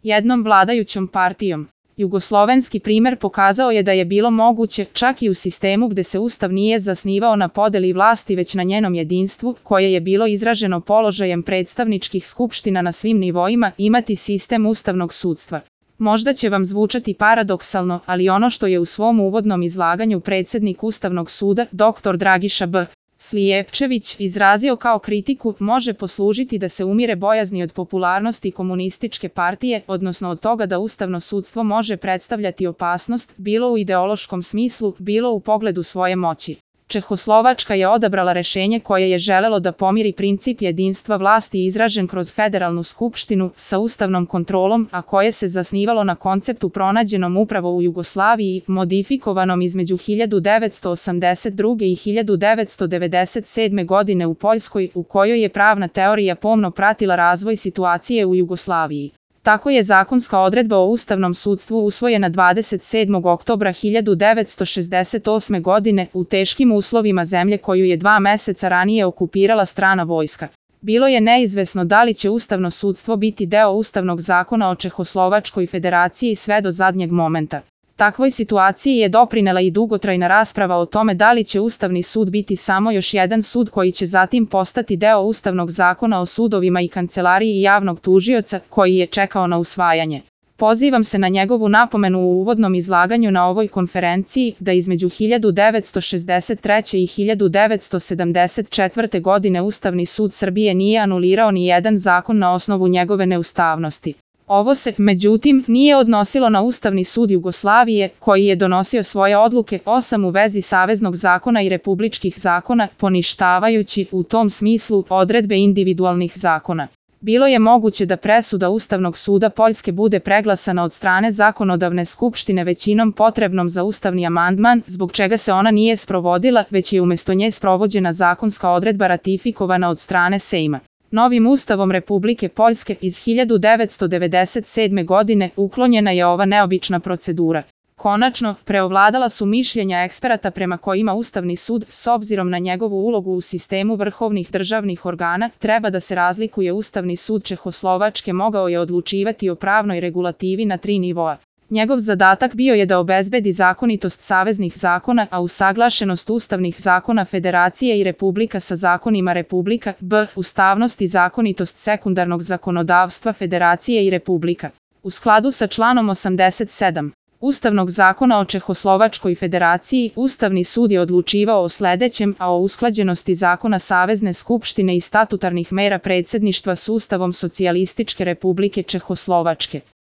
jednom vladajućom partijom. Jugoslovenski primer pokazao je da je bilo moguće, čak i u sistemu gde se Ustav nije zasnivao na podeli vlasti već na njenom jedinstvu, koje je bilo izraženo položajem predstavničkih skupština na svim nivoima, imati sistem ustavnog sudstva. Možda će vam zvučati paradoksalno, ali ono što je u svom uvodnom izlaganju predsednik Ustavnog suda, dr. Dragiša B. Slijepčević, izrazio kao kritiku, može poslužiti da se umire bojazni od popularnosti komunističke partije, odnosno od toga da ustavno sudstvo može predstavljati opasnost, bilo u ideološkom smislu, bilo u pogledu svoje moći. Čehoslovačka je odabrala rešenje koje je želelo da pomiri princip jedinstva vlasti izražen kroz federalnu skupštinu sa ustavnom kontrolom, a koje se zasnivalo na konceptu pronađenom upravo u Jugoslaviji, modifikovanom između 1982. i 1997. godine u Poljskoj, u kojoj je pravna teorija pomno pratila razvoj situacije u Jugoslaviji. Tako je zakonska odredba o ustavnom sudstvu usvojena 27. oktobra 1968. godine u teškim uslovima zemlje koju je 2 meseca ranije okupirala strana vojska. Bilo je neizvesno da li će ustavno sudstvo biti deo Ustavnog zakona o Čehoslovačkoj federaciji sve do zadnjeg momenta. Takvoj situaciji je doprinela i dugotrajna rasprava o tome da li će Ustavni sud biti samo još jedan sud koji će zatim postati deo Ustavnog zakona o sudovima i kancelariji javnog tužioca, koji je čekao na usvajanje. Pozivam se na njegovu napomenu u uvodnom izlaganju na ovoj konferenciji da između 1963. i 1974. godine Ustavni sud Srbije nije anulirao ni jedan zakon na osnovu njegove neustavnosti. Ovo se, međutim, nije odnosilo na Ustavni sud Jugoslavije, koji je donosio svoje odluke 8 u vezi saveznog zakona i republičkih zakona, poništavajući, u tom smislu, odredbe individualnih zakona. Bilo je moguće da presuda Ustavnog suda Poljske bude preglasana od strane zakonodavne skupštine većinom potrebnom za ustavni amandman, zbog čega se ona nije sprovodila, već je umjesto nje sprovođena zakonska odredba ratifikovana od strane Sejma. Novim Ustavom Republike Poljske iz 1997. godine uklonjena je ova neobična procedura. Konačno, preovladala su mišljenja eksperata prema kojima Ustavni sud, s obzirom na njegovu ulogu u sistemu vrhovnih državnih organa, treba da se razlikuje. Ustavni sud Čehoslovačke mogao je odlučivati o pravnoj regulativi na 3 nivoa. Njegov zadatak bio je da obezbedi zakonitost saveznih zakona, a usaglašenost ustavnih zakona Federacije i Republika sa zakonima Republika, b. ustavnost i zakonitost sekundarnog zakonodavstva Federacije i Republika. U skladu sa članom 87. Ustavnog zakona o Čehoslovačkoj federaciji, Ustavni sud je odlučivao o sledećem, a o usklađenosti zakona Savezne skupštine i statutarnih mera predsjedništva s Ustavom Socijalističke Republike Čehoslovačke.